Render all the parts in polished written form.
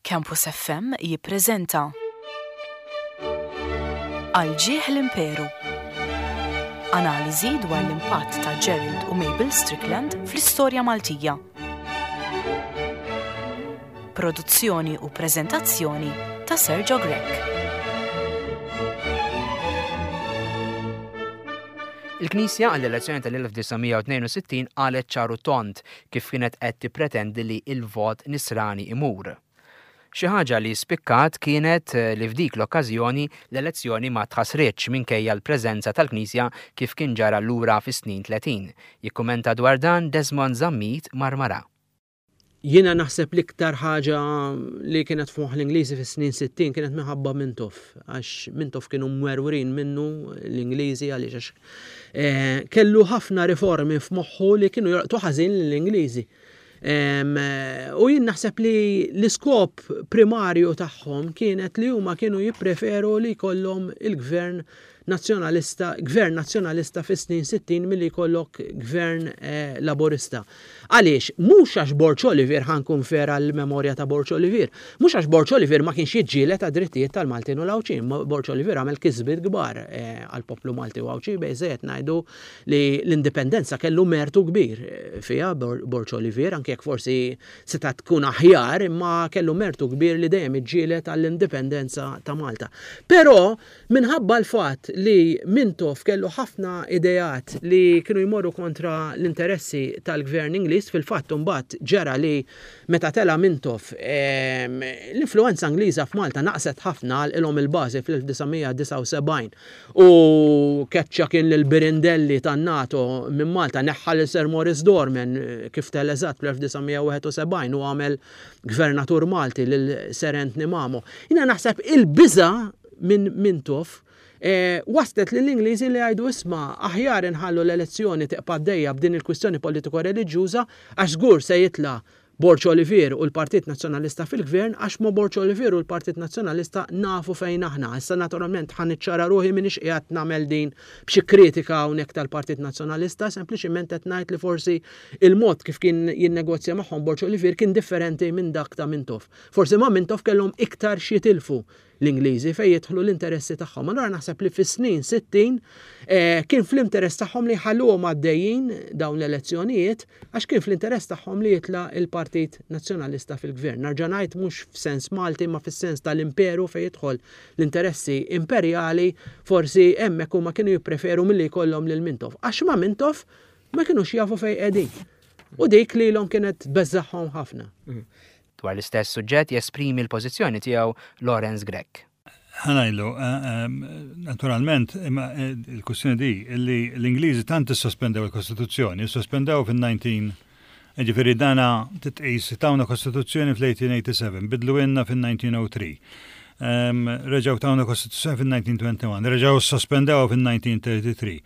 Campus FM jippreżenta Għal ġieħ l-Imperu. Analiżi dwar l-impatt ta' Gerald u Mabel Strickland fl-istorja Maltija. Produzzjoni u preżentazzjoni ta' Sergio Grech. Il-Knisja għall-elezzjoni tal-1962 qalet ċar u tond kif kienet qed tippretendi li l-vot Nisrani imur. Xi ħaġa li spikkat kienet li f'dik l-okkażjoni l-elezzjoni ma tħassritx minkejja l-preżenza tal-Knisja kif kien ġara lura fis-snin 30. Jikkumenta dwar dan Desmond Zammit Marmarà. Jiena naħseb l-iktar ħaġa li kienet f'moħħ l-Ingliżi fis-snin 60 kienet minħabba Mintoff, għax Mintoff kienu mwerwrin minnu l-Ingliżi għaliex għax eh, kellu ħafna riformi f'moħħu li kienu jolqtu ħażin lill-Ingliżi. U jien naħseb li l-iskop primarju tagħhom kienet li huma kienu jippreferu li jkollhom il-gvern Nazzjonalista, gvern Nazzjonalista fis-snin 60 milli jkollok gvern eh, Laburista. Għaliex? Mhux għax Borg Olivier ħa nkun fair għall-memorja ta' Borg Olivier. Mhux għax Borg Olivier ma kienx jiġġieled għad-drittijiet tal-Maltin u l-Għawdxin. Borg Olivier għamel kisbiet kbar eh, għall-poplu Malti u Għawdxi biżżejjed ngħidu li l-indipendenza kellu mertu kbir eh, fiha Borg Olivier anke jekk forsi setgħet tkun aħjar imma kellu mertu kbir li dejjem iġġieled għall-indipendenza ta' Malta. Però Minħabba l-fatt li Mintoff kellu ħafna ideat li kienu jmorru kontra l-interessi tal-gvern Ingliż, fil-fatt imbagħad ġara li meta tela' Mintoff l-influwenza Ingliża f'Malta naqset ħafna, għalqilhom il-bażi fl-1979 u keċċa kien lil Birindelli tan-NATO minn Malta, neħħa lil Sir Maurice Dorman kif tela' eżatt fl-1971 u għamel gvernatur Malti lil Sir Anthony Mamo. Jiena naħseb il-biża' minn Mintoff waslet lill-Ingliżi li jgħidu isma' aħjar inħallu l-elezzjoni tibqa' għaddejja b'din il-kwistjoni politiko-reliġjuża għax żgur se jitla' Borg Olivier u l-Partit Nazzjonalista fil-Gvern għax ma' Borg Olivier u l-Partit Nazzjonalista nafu fejn aħna. Issa naturalment ħa niċċara ruħi m'iniex qiegħed nagħmel din b'xi kritika hawnhekk tal-Partit Nazzjonalista, sempliċiment qed ngħid li forsi il-mod kif kien jinnegozja magħhom Borg Olivier kien differenti minn dak ta' Mintoff. Forsi ma' Mintoff kellhom iktar x'jitilfu l-Ingliżi fejn jidħlu l-interessi tagħhom. Allura naħseb li fis-snin 60 eh, kien fl-interess tagħhom li jħalluhom għaddejjin dawn l-elezzjonijiet għax kien fl-interess tagħhom li jitla' il-Partit Nazzjonalista fil-gvern. Narġa' ngħid mhux f'sens Malti ma fis-sens tal-imperu fejn jidħol l-interessi imperjali forsi hemmhekk huma kienu jippreferu milli jkollhom lil Mintoff. Għax ma' Mintoff ma kinux jafu fejn qegħdin. U dik lilhom kienet beżżagħhom ħafna. Mm. Dwar l-istess suġġett jesprimi l-pożizzjoni tiegħu Lawrence Grech. Ħa ngħidlu, eh, eh, naturalment, imma eh, il-kwestjoni di, li l-Ingliżi tant issospendew il-Kostituzzjoni, sospendew fin-19 Ġifieri dana titqis tawna Kostituzzjoni fl-1887, bidlu inna fin-1903. Reġgħu tawna Kostituzzjoni fin-1921, reġgħu sospendew fin-1933.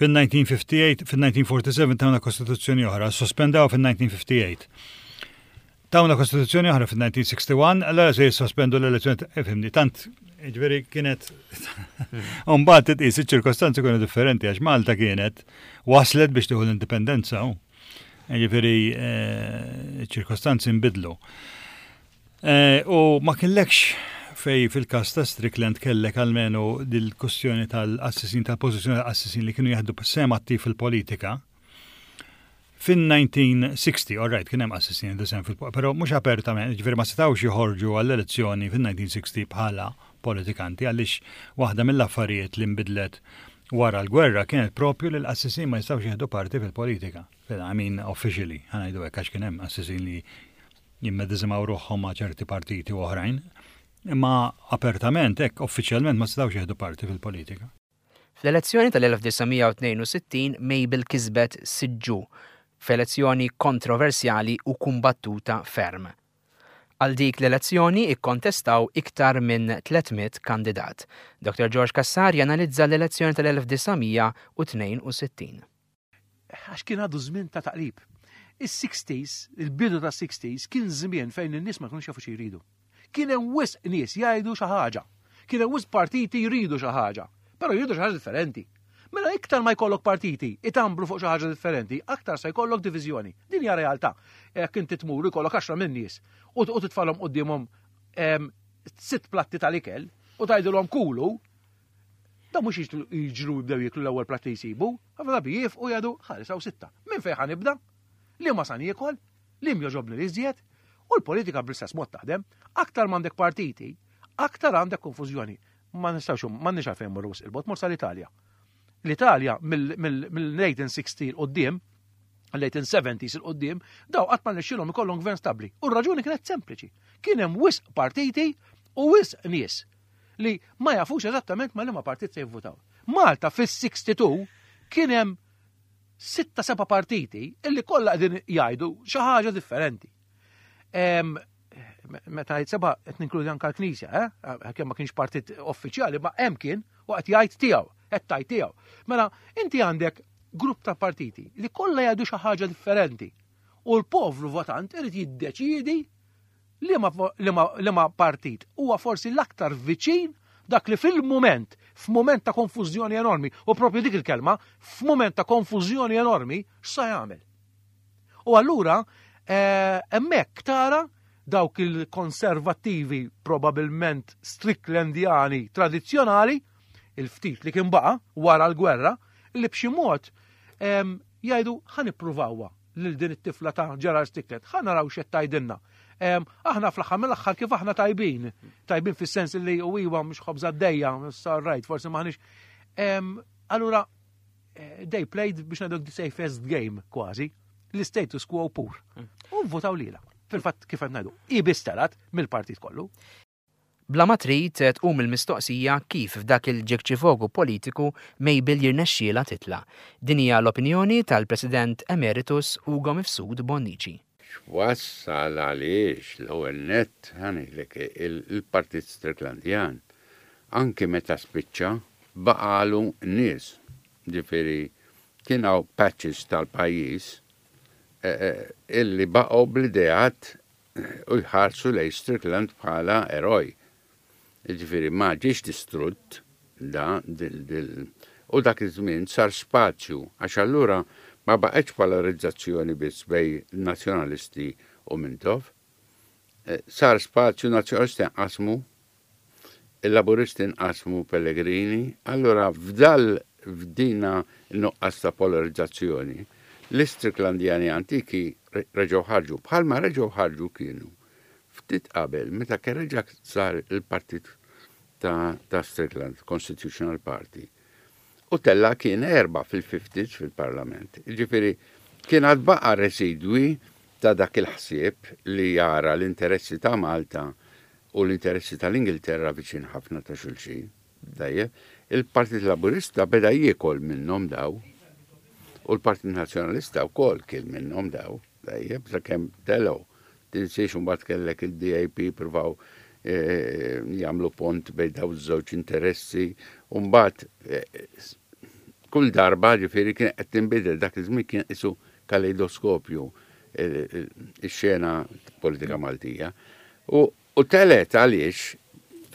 Fin-1958, fin-1947 tawna Kostituzzjoni oħra, sospendew fin-1958. Tawna kostituzzjoni oħra fin-1961, allora se jissospendu l-elezzjoni, ifhimni, tant, ġifieri kienet. Umbagħad titqis iċ-ċirkostanzi kienu differenti għax Malta kienet waslet biex tieħu l-indipendenza. Ġifieri eh, ċirkostanzi nbidlu. Eh, u ma kienlekx fej fil-kas ta' Strickland kellek almenu dil-kustjoni tal-qassisin, tal-pożizzjoni tal-qassisin li kienu jieħdu sem attiv fil-politika. Fin-1960, all right, kien hemm qassisin jieħdu sehem fil però mhux apertament, jiġifieri ma setgħux joħorġu għall-elezzjoni fin-1960 bħala politikanti għaliex waħda mill-affarijiet li nbidlet wara l-gwerra kienet propju li l-qassisin ma jistgħux jieħdu parti fil-politika. I mean, officially, ħa ngħidu hekk għax kien hemm qassisin li jimmedeżimaw ruħhom ma' ċerti partiti u oħrajn, imma apertament hekk uffiċjalment ma setgħux jieħdu parti fil-politika. Fl-elezzjoni tal-1962 Mabel kisbet siġġu f'elezzjoni kontroversjali u kumbattuta ferm. Għal dik l-elezzjoni ikkontestaw iktar minn 300 kandidat. Dr. George Cassar janalizza l-elezzjoni tal-1962. Għax kien għadu żmien ta' taqlib. Is-60s, il-bidu ta' 60s, kien żmien fejn in-nies ma kinux jafu xi jridu. Kien hemm wisq nies jgħidu xi ħaġa. Kien hemm wisq partiti jridu xi ħaġa. Però jridu xi ħaġa differenti. Mela iktar ma jkollok partiti itambru fuq xi ħaġa differenti, aktar se jkollok diviżjoni. Din hija realtà. Jekk inti tmur jkollok għaxra minn nies u titfalhom quddiemhom Sitt platti tal-ikel u tgħidilhom kulu, da mhux jiġru jibdew jieklu l-ewwel platt li jsibu, ħafna drabi jifqu jgħidu ħares hawn sitta. Minn fejn ħa nibda? Liema sa niekol? Liem jogħġobni l-iżjed? U l-politika bl-istess mod taħdem. Aktar m'għandek partiti, aktar għandek konfużjoni. Ma nistgħux m'għandniex għalfejn mmorru wisq il-bogħod, mur sal-Italja. L-Italja mill-1860 'l quddiem, l-1870s 'il quddiem, daw qatt ma rnexxielhom ikollhom gvern stabbli. U r-raġuni kienet sempliċi. Kien hemm wisq partiti u wisq nies li ma jafux eżattament ma liema partit se jivvutaw. Malta fis-62 kien hemm sitta seba' partiti illi kollha qegħdin jgħidu xi ħaġa differenti. Meta jgħid seba' qed ninkludi anke l-Knisja, eh? Kemm ma kienx partit uffiċjali, ma hemm kien u qed jgħid tiegħu, qed tgħid tiegħu. Mela inti għandek grupp ta' partiti li kollha jgħidu xi ħaġa differenti. U l-povru votant irid jiddeċiedi liema partit huwa forsi l-aktar viċin dak li fil-mument, f'mument ta' konfużjoni enormi, u propju dik il-kelma, f'mument ta' konfużjoni enormi, x'sa jagħmel? U allura eh, hemmhekk tara dawk il-konservattivi probabilment Stricklandjani tradizzjonali, il-ftit li kien baqa' wara l-gwerra, li b'xi mod jgħidu ħa nippruvawha lil din it-tifla ta' Gerard Strickland, ħa naraw x'qed tgħidilna. Aħna fl-aħħar mill-aħħar kif aħna tajbin, tajbin fis-sens li u iwa mhux ħobża d-dejja, rajt, forsi maħniex. Allura eh, they played biex ngħidu the safest game kważi, l-status quo pur. U votaw lila. Fil-fatt kif qed ngħidu, hi biss telgħet mill-partit kollu. Bla ma trid tqum il-mistoqsija kif f'dak il-ġekċifogu politiku Mabel jirnexxielha titla'. Din hija l-opinjoni tal-President Emeritus Ugo Mifsud Bonnici. X'wassal għaliex l-ewwel nett ħa ngħidlek il-Partit Stricklandjan anki meta spiċċa baqagħlu nies. Ġifieri kien hawn patches tal-pajjiż illi baqgħu bl-ideat u jħarsu lejn Strickland bħala eroj. Jiġifieri ma ġiex distrutt da dil u dak iż-żmien sar spazju għax allura ma baqgħetx polarizzazzjoni biss bejn Nazzjonalisti u Mintoff. Sar spazju Nazzjonalisti nqasmu Il-Laburisti nqasmu Pellegrini, allura f'dal f'dina n-nuqqas ta' polarizzazzjoni, l-Istricklandjani antiki reġgħu ħarġu, bħalma reġgħu ħarġu kienu ftit qabel meta kien reġa' sar il-partit ta' ta' Strickland, Constitutional Party. U tella' kien erba' fil-fifties fil-Parlament. Jiġifieri kien għad baqa' residwi ta' dak il-ħsieb li jara l-interessi ta' Malta u l-interessi tal-Ingilterra viċin ħafna ta' xulxin. Tajjeb, il-Partit Laburista beda jiekol minnhom daw. U l-Partit Nazzjonalista wkoll kien minnhom daw. Tajjeb, sakemm telgħu. Tinsiex imbagħad kellek il-DAP pruvaw eh, jagħmlu pont bejn daw iż-żewġ interessi u mbagħad eh, kull darba ġifieri kien qed tinbidel dak iż-żmien kien isu kaleidoskopju eh, ix-xena politika Maltija. U u telgħet għaliex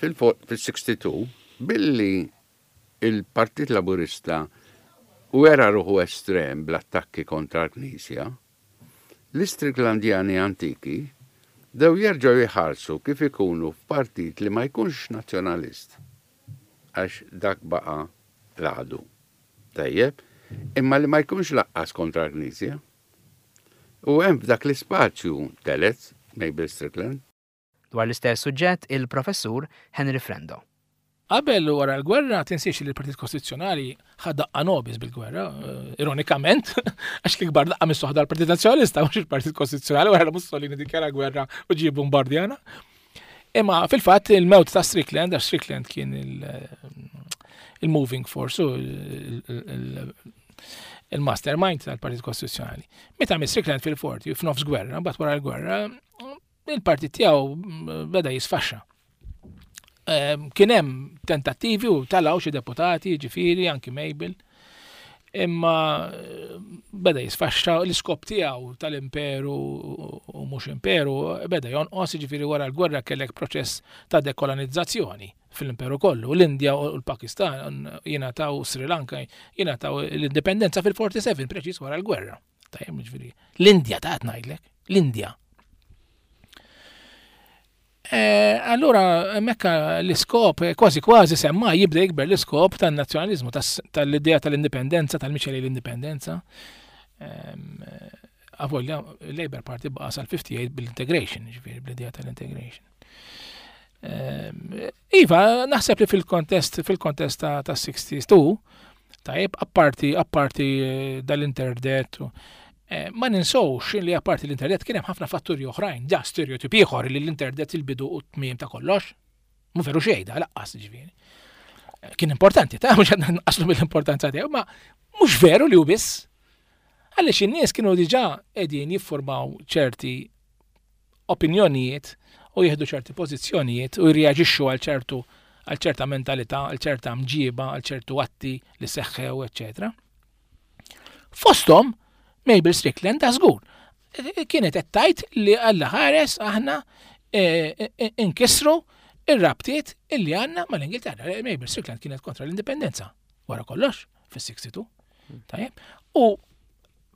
fil-62 billi il-Partit Laburista wera ruħu estrem bl-attakki kontra l-Knisja, l-Istricklandjani antiki bdew jerġgħu jħarsu kif ikunu f'partit li ma jkunx nazzjonalist, għax dak baqa' l-għadu. Tajjeb, imma li ma jkunx laqqas kontra l-Knisja. U hemm f'dak l-ispazju telgħet Mabel Strickland. Dwar l-istess suġġett il-Professur Henry Frendo. Qabel u wara l-gwerra, tinsiex li l-Partit Kostituzzjonali ħa daqqa nobis bil-gwerra, eh, ironikament, għax l-ikbar daqqa missu ħadha l-Partit Nazzjonalista, mhux il-Partit Kostituzzjonali wara li Mussolini dikjara gwerra u ġie bombardjana. Imma fil-fatt il-mewt ta' Strickland, għax Strickland kien il-moving force, il-mastermind tal-Partit Kostituzzjonali. Meta miss Strickland fil-forti, f'nofs gwerra, mbagħad wara l-gwerra, il-partit tiegħu beda jisfaxxa. Ehm, kien hemm tentattivi u talaw xi deputati, ġifieri anki Mabel, imma eh, beda jisfaxxa l-iskop tiegħu tal-imperu u mhux imperu beda jonqos, ġifieri wara l-gwerra kellek proċess ta' dekolonizzazzjoni fl-imperu kollu. L-Indja u l-Pakistan jingħataw Sri Lanka jingħataw l-indipendenza fil-47 preċiż wara l-gwerra. Tajjeb, ġifieri. L-Indja ta' ngħidlek, l-Indja. Eh, Allura hemmhekk l-iskop kważi kważi semma jibda jikber l-iskop tan-nazzjonaliżmu tal-idea tal-indipendenza, tal-mixja l-indipendenza. Avolja Labour Party baqa' sal-58 bil-integration, ġifieri bl-idea tal-integration. Iva, naħseb li fil-kontest fil-kontest ta' 62, tajjeb, apparti apparti eh, dal-interdet, eh, ma ninsowx li apparti l-internet kien hemm ħafna fatturi oħrajn, da stereotip ieħor li l-internet il-bidu u t-tmiem ta' kollox. Mu veru xejn da laqqas ġifieri. Eh, kien importanti, ta' mhux qed nqaslu mill-importanza tiegħu, ma mhux veru li hu biss. Għaliex in-nies kienu diġà qegħdin jiffurmaw ċerti opinjonijiet u jieħdu ċerti pożizzjonijiet u jirreaġixxu għal ċertu għal ċerta mentalità, għal ċerta mġiba, għal ċertu atti li seħħew, eċċetera. Fosthom Mabel Strickland ta' żgur kienet qed tgħid li Alla ħares aħna e, e, e, inkisru ir-rabtiet illi għandna mal-Ingilterra. Mabel Strickland kienet kontra l-indipendenza wara kollox fis-62. Tajjeb. U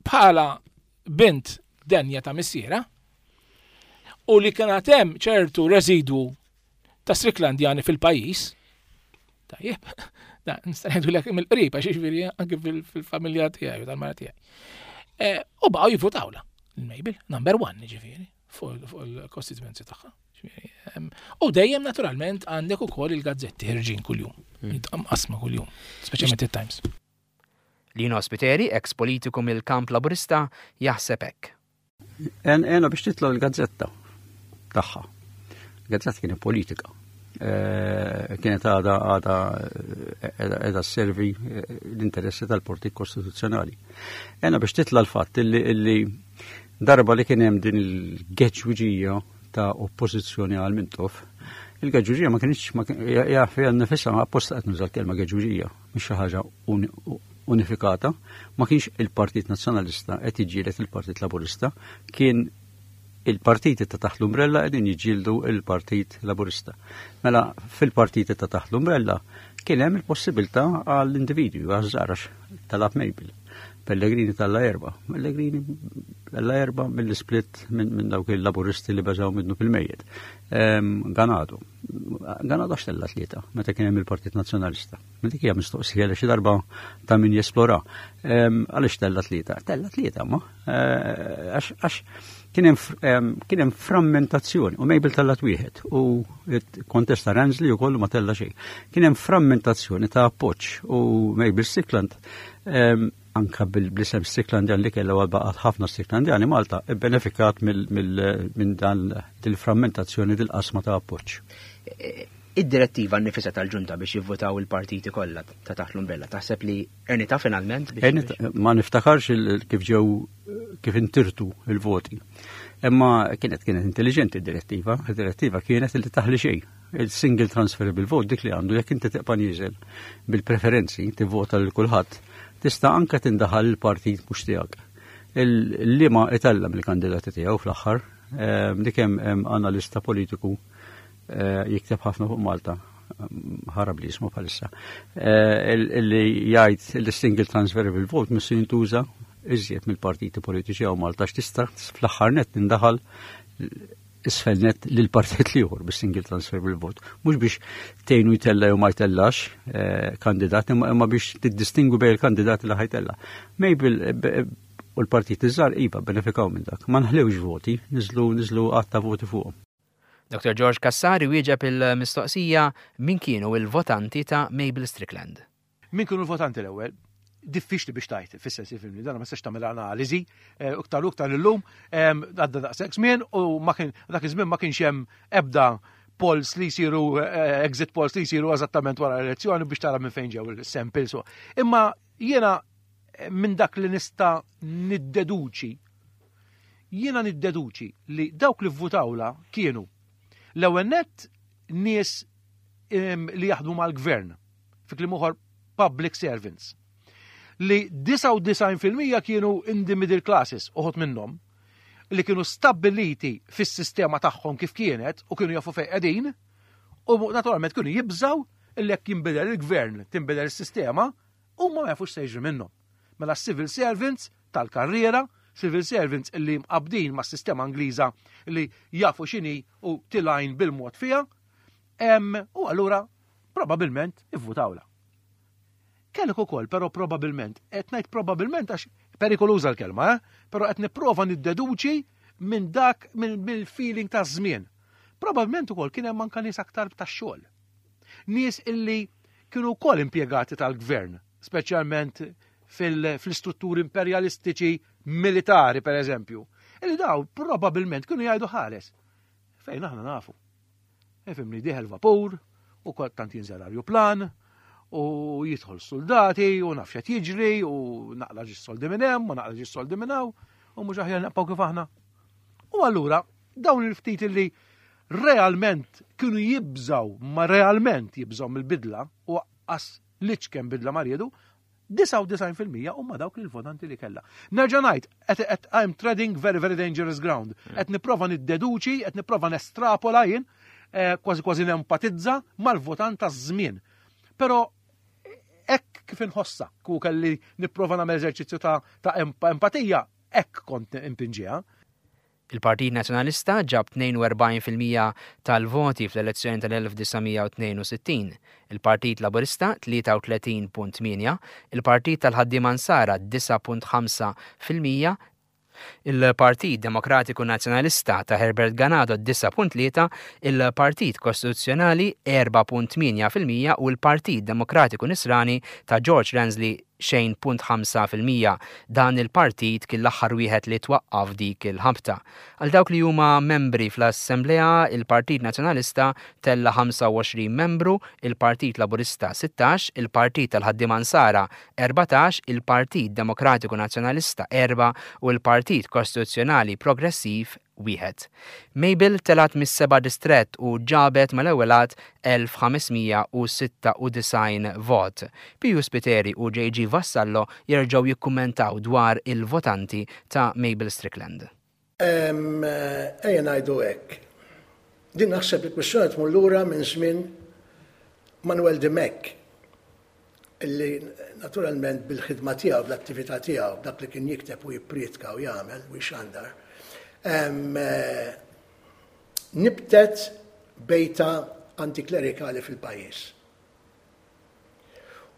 bħala bint denja ta' missiera u li kien hemm ċertu residwu ta' Stricklandjani fil-pajjiż. Tajjeb, da nista' ngħidulek mill-qrib għax jiġifieri anke fil-familja tiegħi u tal-mara tiegħi. Eh, u baqgħu jivvutawla il-Mabel, number one jiġifieri, fuq il-costituency tagħha. U dejjem naturalment għandek ukoll il-gazzetti ħirġin kuljum, hmm. qasma kuljum, speċjalment it-Times. Lino Spiteri, eks politiku mill-kamp Laburista, jaħseb hekk. Ena biex titla' l-gazzetta tagħha. Gazzetta kienet politika. Eh, kienet għada għada edha servi eh, l-interessi tal-Partit Kostituzzjonali. Ena biex titla' l-fatt illi darba li kien hemm din il-geġwiġija ta' oppożizzjoni għal Mintoff, il-geġwiġija ma kienx ja fiha nifisha apposta qed nuża l-kelma geġwiġija. mhix xi ħaġa unifikata, ma kienx il-Partit Nazzjonalista qed jiġġieled il-Partit Laburista, kien il-partiti ta' taħt l-umbrella qegħdin jiġġieldu il-Partit Laburista. Mela fil-partiti ta' taħt l-umbrella kien hemm il-possibilità għall-individwi għaż-żgħar talab Mabel. Pellegrini talla erba. Pellegrini talla erba mill-split minn dawk il-laburisti li beżaw minnu fil-mejjet. Ehm, Ganadu. Ganadu għax tella tlieta meta kien hemm il-Partit Nazzjonalista. Ma dik hija mistoqsija li xi darba ta' min jesplora. Ehm, għaliex tella tlieta? Tella tlieta ma. Eh, għax kien hemm frammentazzjoni u Mabel tella wieħed u kontesta Ransley ukoll ma tella xejn. Kien hemm frammentazzjoni ta' appoġġ u Mabel Strickland ehm, anka bil-isem Stricklandjan li kellha għal baqgħet ħafna Stricklandjani Malta bbenefikat minn dan il-frammentazzjoni dil-qasma ta' appoġġ. Id-direttiva nnifisha tal-ġunta biex jivvutaw il-partiti kollha ta' taħt l-umbrella taħseb li ernita finalment? Ma niftakarx kif ġew kif intirtu il-voti. Imma kienet kienet intelligenti id-direttiva, id-direttiva kienet li taħli xejn. Il-single transferable vote dik li għandu jekk inti tibqa' nieżel bil-preferenzi tivvota lil kulħadd, tista' anke tindaħal il-partit mhux tiegħek. Il-liema itella mill-kandidati tiegħu fl-aħħar, ehm, dik hemm analista politiku eh, jikteb ħafna fuq Malta, ħarab li jismu bħalissa, eh, li jgħid li single transferable vote missu jintuża iżjed mill-partiti politiċi għaw Malta x'tista' fl-aħħar net tindaħal isfel net lil partit liħor bis-single transferable vote. Mhux biex tgħinu jtella jew ma jtellax eh, kandidat, imma biex tiddistingwi bejn il-kandidati li ħajtella. Mabel eh, u l-partit iż-żgħar iva benefikaw minn dak. Ma nħlewx voti, niżlu niżlu għadd ta' voti fuqhom. Dr. George Cassar iwieġeb il-mistoqsija min kienu il-votanti ta' Mabel Strickland. Min kienu l-votanti l-ewwel? Diffiċli biex tajt, fis-sens jifhimni, dan ma tistax tagħmel analiżi, eh, iktar u iktar illum għadda daqshekk żmien u ma kien dak iż-żmien ma kienx hemm ebda polls li jsiru eh, exit polls li jsiru eżattament wara l-elezzjoni biex tara minn fejn ġew il-samples. Imma jiena eh, minn dak li nista' niddeduċi jiena niddeduċi li dawk li vvutawla kienu l-ewwel nett nies li jaħdmu mal-gvern fi kliem ieħor public servants, li 99% kienu in the middle classes, uħud minnhom, li kienu stabbiliti fis-sistema tagħhom kif kienet u kienu jafu fejn qegħdin, u naturalment kienu jibżaw li jekk jinbidel il-gvern, tinbidel is-sistema, huma ma jafux se jiġri minnhom. Mela civil servants tal-karriera, civil servants li mqabdin mas-sistema Ingliża li jafu x'inhi u tilgħin bil-mod fiha. U allura probabilment ivvutawla. Kellek ukoll, però probabilment, qed ngħid probabilment għax perikoluża l-kelma, eh? però qed nipprova niddeduċi minn dak mill-feeling ta' żmien. Probabilment ukoll kien hemm anke nies aktar tax-xogħol. Nies illi kienu wkoll impjegati tal-gvern, speċjalment fl-istrutturi imperjalistiċi militari per eżempju, illi daw probabilment kienu jgħidu ħares. Fejn aħna nafu. Ifimni dieħel vapur, u tant jinżel arjuplan, u jidħol soldati, u naf x'qed jiġri, u naqla ġi soldi minn hemm, u naqla ġi soldi minn hawn, u mhux aħjar naqpaw kif aħna. U allura dawn il-ftit li realment kienu jibżaw, ma realment jibżaw mill-bidla, u qas liċ bidla ma riedu, 99% huma dawk il-votanti li kella. Nerġa' ngħid, qed I'm treading very very dangerous ground. Mm. Qed nipprova niddeduċi, qed nipprova nestrapola jien, eh, kważi kważi nempatizza mal-votant taż-żmien. Però hekk kif inħossa, ku kelli nipprova nagħmel eżerċizzju ta', ta empatija, hekk kont impinġiha. Il-Partit Nazzjonalista ġab 42% tal-voti fl-elezzjoni tal-1962, il-Partit Laburista 33.8, il-Partit tal-Ħaddiema Nsara 9.5%, il-Partit Demokratiku Nazzjonalista ta' Herbert Ganado 9.3, il-Partit Kostituzzjonali 4.8% u l-Partit Demokratiku Nisrani ta' George Ransley 0.5%. Dan il-partit kien l-aħħar wieħed li twaqqaf dik il-ħabta. Għal dawk li huma membri fl-Assemblea, il-Partit Nazzjonalista tella' 25 membru, il-Partit Laburista 16, il-Partit tal-Ħaddiema Nsara 14, il-Partit Demokratiku Nazzjonalista 4 u l-Partit Kostituzzjonali Progressiv wieħed. Mabel telgħet mis-seba' distrett u ġabet mal-ewwel għadd 1,596 vot. Piju Spiteri u JG Vassallo jerġgħu jikkummentaw dwar il-votanti ta' Mabel Strickland. Ejja ngħidu hekk. Din naħseb il-kwistjoni tmur lura minn żmien Manuel Dimech illi naturalment bil-ħidma tiegħu, bl-attività tiegħu, dak li kien jikteb u jipprietka u jagħmel u jxandar, eh, nibtet bejta antiklerikali fil-pajjiż.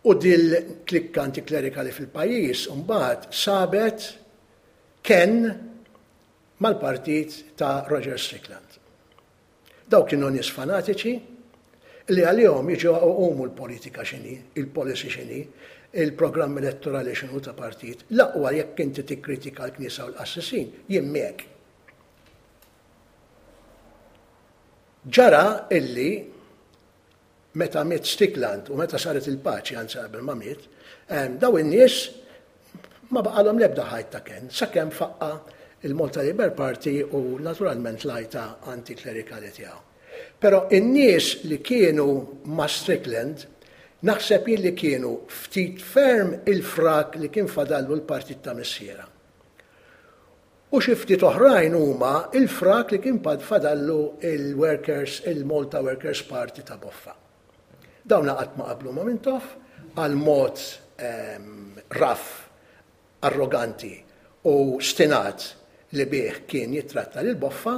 U dil klikka antiklerikali fil-pajjiż mbagħad sabet ken mal-partit ta' Roger Strickland. Dawk kienu nies fanatiċi li għalihom jiġu jqumu l-politika x'inhi, il-policy x'inhi, il-programm elettorali x'inhu ta' partit. L-aqwa jekk inti tikkritika l-Knisja u l-qassisin, jien miegħek. Ġara illi meta miet Stickland u meta saret il-paċi, anzi qabel ma miet, daw in-nies ma baqalhom l-ebda ħajt ta' kenn, sakemm faqqa il-Malta Labour Party u naturalment l-għajta antiklerikali tiegħu. Però in-nies li kienu ma' Strickland naħseb jien li kienu ftit ferm il-frak li kien fadallu l-partit ta' missiera. U xi ftit oħrajn huma l-frak li kien fadallu il-Workers, il-Malta Workers Party ta' Boffa. Dawn qatt ma qablu ma' Mintoff għal mod raff, arroganti u stinat li bih kien jittratta lil Boffa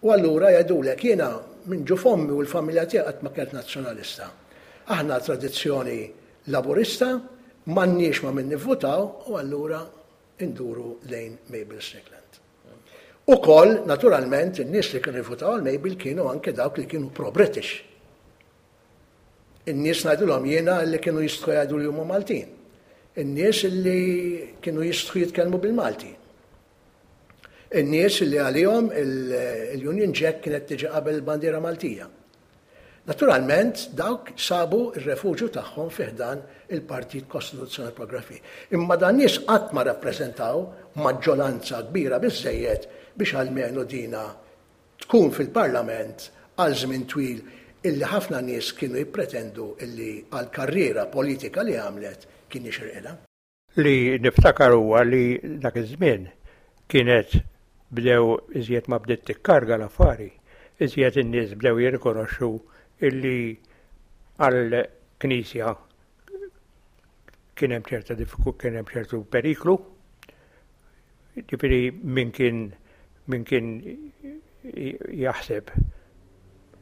u allura jgħidulek jiena minn ġuf ommi u l-familja tiegħi qatt ma kienet nazzjonalista. Aħna tradizzjoni Laburista, m'għandniex ma' min nivvutaw u allura induru lejn Mabel Strickland. Ukoll, naturalment, in-nies li kienu jivvutaw għal Mabel kienu anke dawk li kienu pro-British. In-nies ngħidulhom jiena li kienu jistħu jgħidu li huma Maltin. In-nies li kienu jistħu jitkellmu bil-Malti. In-nies li għalihom il-Union Jack kienet tiġi qabel il-bandiera Maltija. Naturalment, dawk sabu r-refuġju tagħhom fi ħdan il-Partit Kostituzzjonali Progressiv. Imma dan nies qatt ma rappreżentaw maġġoranza kbira biżżejjed biex almenu dina tkun fil-Parlament għal żmien twil illi ħafna nies kienu jippretendu illi għall-karriera politika li għamlet kien jixirqilha. Li niftakar huwa li dak iż-żmien kienet bdew iżjed ma bdiet tikkarga l-affari, iżjed in-nies bdew jirrikonoxxu illi għall-Knisja kien hemm ċerta kien hemm ċertu periklu. Ġifieri min kien min kien jaħseb.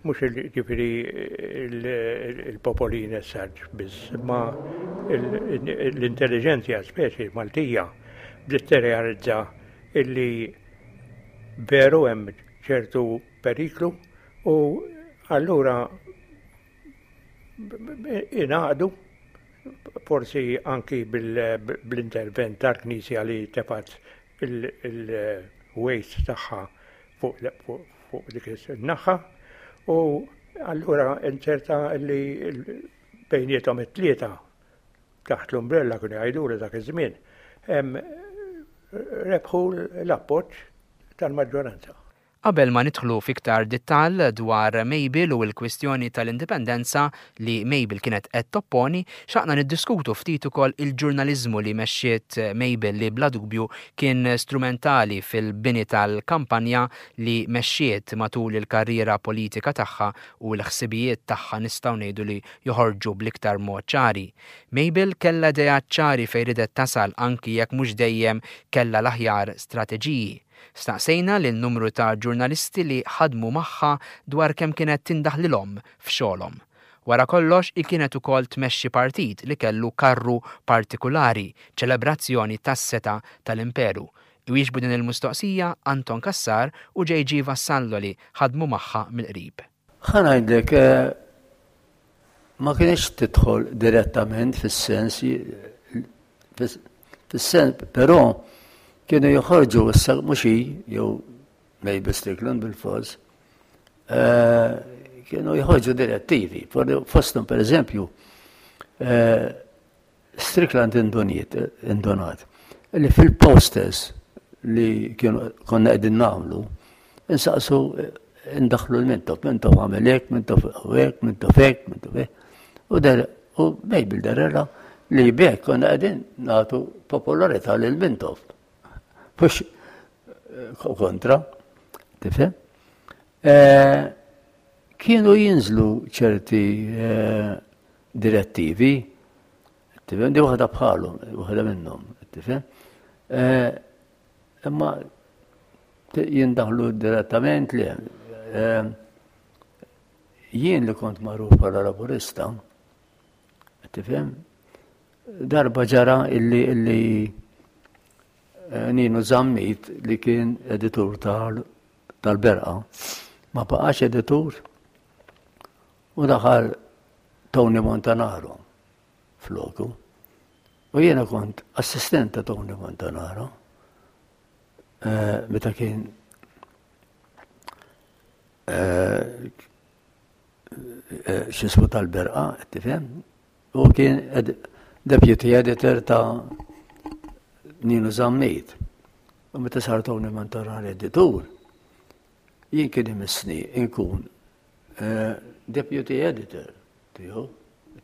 Mhux ġifieri il-popolin as such biss, imma l-intelliġenzja speċi Maltija bdiet tirrealizza illi veru hemm ċertu periklu u allura ingħaqdu forsi anki bl-intervent tal-Knisja li tefgħet il-weight tagħha fuq dik in-naħa u allura inzerta li bejniethom it-tlieta taħt l-umbrella kienu jgħidulu dak iż-żmien rebħu l-appoġġ tal-maġġoranza. Qabel ma nidħlu f'iktar dittall dwar Mabel u l-kwistjoni tal-indipendenza li Mabel kienet qed topponi, xtaqna niddiskutu ftit ukoll il-ġurnaliżmu li mexxiet Mabel li bla dubju kien strumentali fil-bini tal-kampanja li mexxiet matul il-karriera politika tagħha u l-ħsibijiet tagħha nistgħu ngħidu li joħorġu bl-iktar mod ċari. Mabel kellha ideat ċari fejn ridet tasal anki jekk mhux dejjem kellha l-aħjar strateġiji. Staqsejna lil numru ta' ġurnalisti li ħadmu magħha dwar kemm kienet tindaħlilhom f'xogħolhom. Wara kollox hi kienet ukoll tmexxi partit li kellu karru partikulari, ċelebrazzjoni tas-setgħa tal-imperu. Iwieġbu din il-mistoqsija Anton Cassar u JG Vassallo li ħadmu magħha mill-qrib. Ħa ngħidlek, ma kienx tidħol direttament fis-sens fis-sens, però kienu joħorġu issa mhux hi jew Mabel Strickland bil-fors, eh, kienu joħorġu direttivi. Fosthom pereżempju, eh, Strickland induniet, indunat, li fil-posters li kienu konna qegħdin nagħmlu, insaqsu indaħlu l-Mintoff, Mintoff għamel hekk, Mintoff hekk, Mintoff hekk, Mintoff hekk. U der u Mabel derrela li b'hekk konna qegħdin nagħtu popolarità lil Mintoff. Mhux eh, kontra, tifhem? Eh, kienu jinżlu ċerti eh, direttivi, tifhem, di waħda bħalhom, waħda minnhom, tifhem. Eh, imma jindaħlu direttament li eh, jien li kont magħruf bħala laburista, tifhem, darba ġara illi illi eh, Ninu Zammit li kien editur tal-Berqa ma baqax editur U daħal Tony Montanaro floku. U jiena kont assistent ta' Tony Montanaro eh, meta kien eh, eh, xismu tal-berqa, tifhem? U kien deputy editor ta' Nino Zammit. U meta sar Tony Montanaro editur, jien kien imissni nkun Eh, deputy editor tiegħu,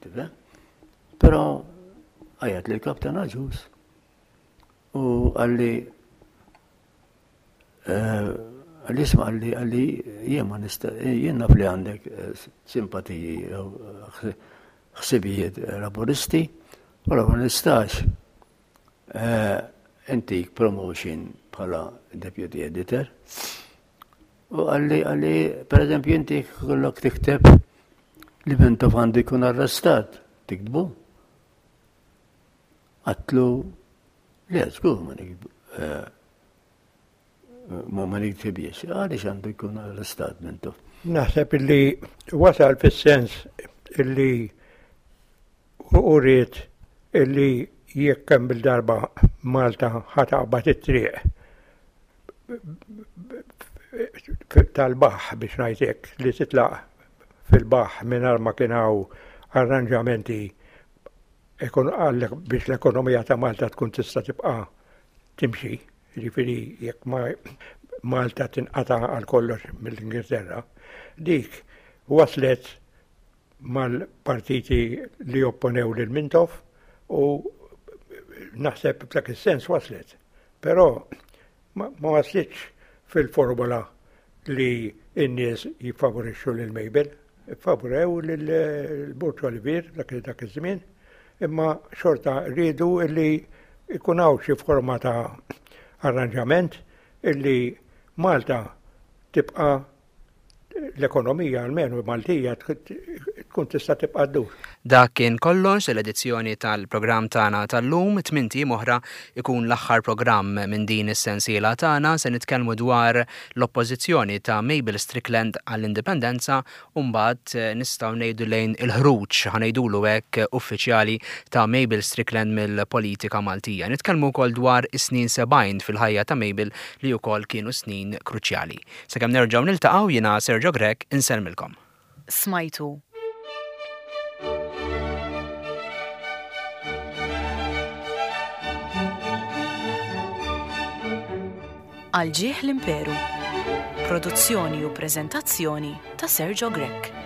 tifhem? Però għajat li l-kaptan Aġus u għalli eh, għalli isma għalli għalli jien ma nista jien naf li għandek eh, simpatiji jew ħsibijiet laburisti, però ma nistax intik promotion bħala deputy editor. U għalli, għalli, per eżempju, inti kollok tikteb li Mintoff għandu jkun arrestat, tiktbu? Għatlu, le, żgur ma niktbu. Eh, ma ma niktibiex, għaliex għandu jkun arrestat Mintoff. Naħseb illi wasal fis-sens illi u ried illi jekk kemm il-darba Malta ħataqbad it-triq tal-baħ biex ngħid hekk li titlaq fil-baħ mingħajr ma kien hawn arranġamenti biex l-ekonomija ta' Malta tkun tista' tibqa' timxi, jiġifieri jekk ma Malta tinqata' għal kollox mill-Ingilterra, dik waslet mal-partiti li opponew lil Mintoff u naħseb f'dak is-sens waslet. Però ma waslitx fil-formula li n-nies jiffavorixxu lil Mabel. Favorew lil Burċ Olivier dak dak iż-żmien, imma xorta riedu li jkun hawn xi forma ta' arranġament illi Malta tibqa' l-ekonomija almenu Maltija tkun tista' tibqa' ddur. Dak kien kollox l-edizzjoni tal-programm tagħna tal-lum, tmint ijiem oħra ikun l-aħħar programm minn din is-sensiela tagħna se nitkellmu dwar l-oppożizzjoni ta' Mabel Strickland għall-Indipendenza u mbagħad nistgħu ngħidu lejn il-ħruġ, ħa ngħidulu hekk, uffiċjali ta' Mabel Strickland mill-politika Maltija. Nitkellmu wkoll dwar is-snin 70 fil-ħajja ta' Mabel li wkoll kienu snin kruċjali. Sakemm nerġgħu niltaqgħu jiena Sergio Grech insellmilkom. Smajtu. Għal ġieħ l-Imperu. Produzzjoni u preżentazzjoni ta' Sergio Grech.